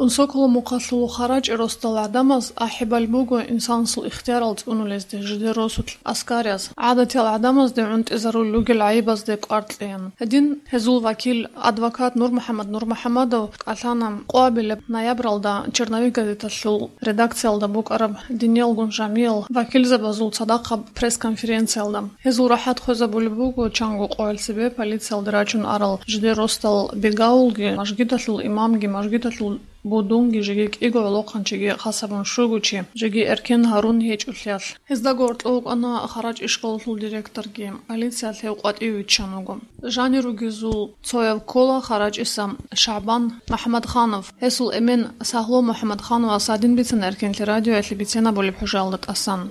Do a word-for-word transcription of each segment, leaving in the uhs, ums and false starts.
Унсоколо мухъалъул Харачи росдал гӀадамаз ахӀи балеб буго инсанасул ихтиярал цӀунулезде жидер росулъ аскарияз, гӀадатиял гӀадамазде гӀунтӀизарулел ругел гӀайибазде кӀвар кьеян. Гьедин гьезул вакил, адвокат НурмухӀаммад НурмухӀаммадов кӀалъана къоабилеб ноябралда «Черновик» газеталъул редакциялда букӀараб диниялгун жамиял вакилзабазул цадахъаб пресс-конференциялда. Гьезул рахӀат хвезабулеб буго чанго къоялъ цебе полициялде рачун арал жидер росдал бегавулги, мажгиталъул имамги, мажгиталъул будунги, жеги кӀиго гӀолохъанчиги хас гьабун щуго чи, жеги эркен гьарун гьечӀолъиялъ. Гьезда гьоркьов вукӀана Харачи школалъул директорги. Полициялъ гьев къватӀиве виччан вуго. Жанир ругезул цояв ккола Харачиса ШагӀбан МухӀаммадханов. Гьесул эмен Сагьлу МухӀаммадхановас гьадин бицана Эркенлъи радиоялъе бицен абулеб хӀужаялда тӀасан.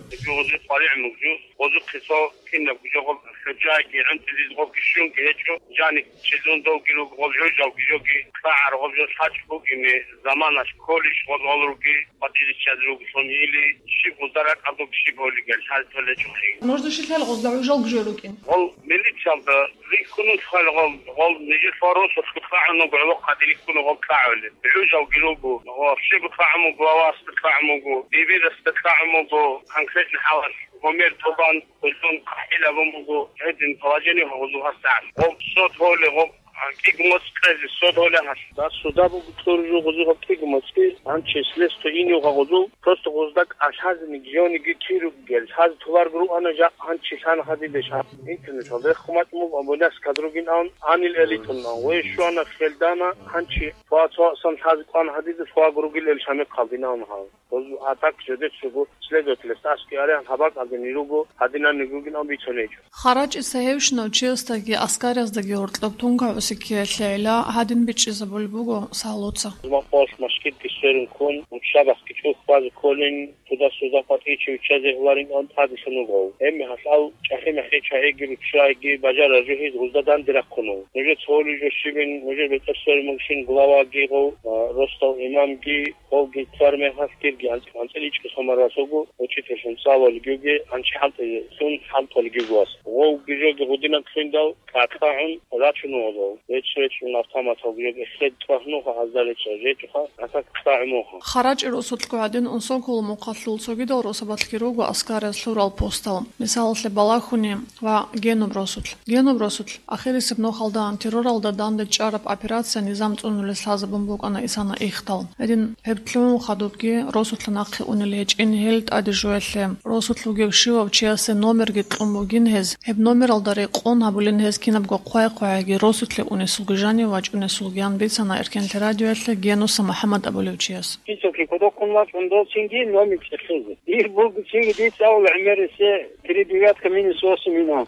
Гъозухъе цо кинаб жо гъоб хӀужаги гӀунтӀизеги гъобги щунги гьечӀо, жаниб чилун довги руго гъол жужалги жоги, кьагӀар гъоб жо лъачӀ бугине, заманалъ кколищ гъол гъол руги, къватӀире чӀезе ругелъул или, щиб гъозда ракӀалдуги щиб гьолигел хӀалтӀулечӀухъи. Нужда щилъали гъозда гӀужалги жо рукӀин? Гъол милициялда рихьунус хъал гъол, гъол нижер фаросулъго кьагӀун вуго гӀолохъаде рихьуна гъол кьагӀулеб. ГӀужалги руго, вообще кьагӀун вуго, главасда кьагӀун вуго, дибирасда кьагӀун вуго, конкретно хӀалалъ гьумер тӀубан, гьелъун къахӀил абун буго, гьедин положение гьезул гьасагӀат. Гъоб сот гьоле, гъоб, а, кӀиго моцӀ кьезе сот гьоле гьалъ. Да, суда буго кьуржу гъозул гьаб кӀиго моцӀги, гьанчи следство инев гъозул, просто гъозда кӀалъазеги, жеги киругел, гьаз товарго руана жакъ гьанчи лъана гьадидеш гьаб. Интернеталда рехун бачӀун буго, абуляс кадругин ан, анил элитун ан. Ве щуана хелдана гьанчи, фа цо асан лъазе кӀван гьадиде, фа гуругил эл шамихъалдин ан гьав. Гъозул атак жедечӀого следователас аски арян гьабакӀалдин ируго, гьадинан нигугин ан бицунечӀо. Харачиса гьевщинав чиясдаги аскарияздаги гьоркьоб тункагӀуси ккеялъе гӀела гьадин бичӀчӀизабулеб буго Сагьлуца. Жумахъалъ машгитги сверун ккун, уччабахъги чӀухь базе кколин, туда-суда къватӀичи виччазе гьуларин ан тӀаделъун вуго. Гьеб мехалъ ал чӀахи-мехи чагӀиги руччайги бажарараб жо гьез гъозда данде рахъун вуго. Нужеца гьолей жо щибин, нужер бетӀер сверун бугищин главаги гъов, а, росдал имамги, гъовги цар мехалъ кирги анцӀ-, анцӀила ичӀго сомарасаго, учительлъун цӀалулги юги, анчи хӀалтӀизехун хӀалтӀулги юги вас. Гъовги жоги гъудинаб лъугьиндал, кьакьагӀун рачун вуго. Речь-речун автоматалги жоги эхед тӀвагьнуха, гьазда речӀчӀа жечӀоха, гьасак кьагӀун вуха. Харачи росулъго гӀадин, Унсоколо мухъалъул цогидал росабалъги руго аскарияз лъурал постал, мисалалъе, Балахьуни ва Генуб росулъ. Генуб росулъ ахирисеб нухалда терроралда данде чӀараб операция низам цӀунулес лъазабун букӀана исана ихдал. Гьедин гьеб лъугӀун хадубги росулъа нахъе унел гьечӀин гьел тӀаде жуялъе, росулъ вугев щивав чиясе номерги кьун бугин гьез, гьеб номералда рекъон гьабулин гьез кинабго хъвай-хъвайги росулъе унесулги жанив вачӀунесулгиян бицана Эркенлъи радиоялъе Генуса МухӀаммад абулев чияс. Списокги кодобккун вачӀун долцинги номер цӀехезе. Ир бугцинги дица авал гӀемерисеб три девятка минус восемь ина.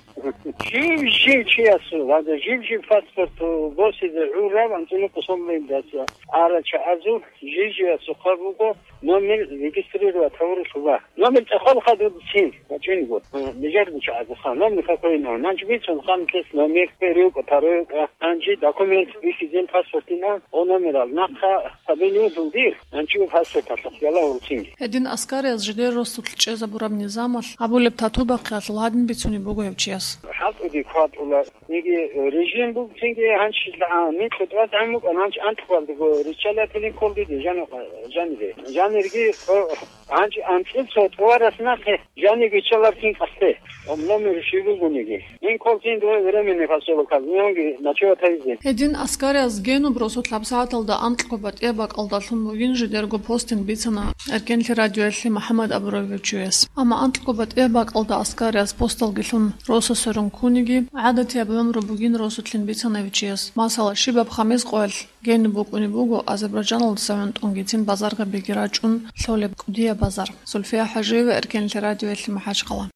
Жив-жив чиясул, гьанже жив-жив паспорт босизе гӀурав анцӀила къосоллиндаса арачагӀазул жив-живасухъа буго номер регистрировать гьавурелъула. Номер цӀехолха дудцин, вачӀинго. Нижер бучагӀазухъа номер какой ина. Нанчи бицун ханлъес номер, первый, второй, гьанже документ бихьизин паспортина, о номерал нахъа фамилиялъул дир, нанчи паспорталъухъ яла гьурцинги. Гьедин аскарияз жидер росулъ чӀезабураб низамалъ гьабулеб тату-бахъиялъул гьадин бицунеб буго гьев чияс. ХӀалтӀуди хъватӀула, яги режим бугцинги гьанчи, а, микьу тӀватӀан букӀан гьанчи анкьалдего риччалатилин кколдиде жан-, жанире. Жанирги, о, гьанчи анцӀил цо тӀуварас нахъе жаниги риччаларкин къасде. Номер щиб бугониги. Ин кколцин дуе временный поселок, мунги ночевать гьабизе. Гьедин аскарияз Генуб росулъ гьабсагӀаталда анкьго батӀияб бакӀалдалъун бугин жидерго постин бицана Эркенлъи радиоялъе МухӀаммад абурав чияс. Амма анкьго батӀияб бакӀалда аскарияз посталги лъун росасерун ккуниги, гӀадатияб гӀумру бугин росулъин бицана гьев чияс. Масала, щибаб хамис къоялъ Генуб букӀунеб буго Азербайджаналдаса гӀунтӀунгицин базаргабиги рачӀун лъолеб кӀудияб базар. Зульфия ХӀажиева, Эркенлъи радиоялъе, МахӀачхъала.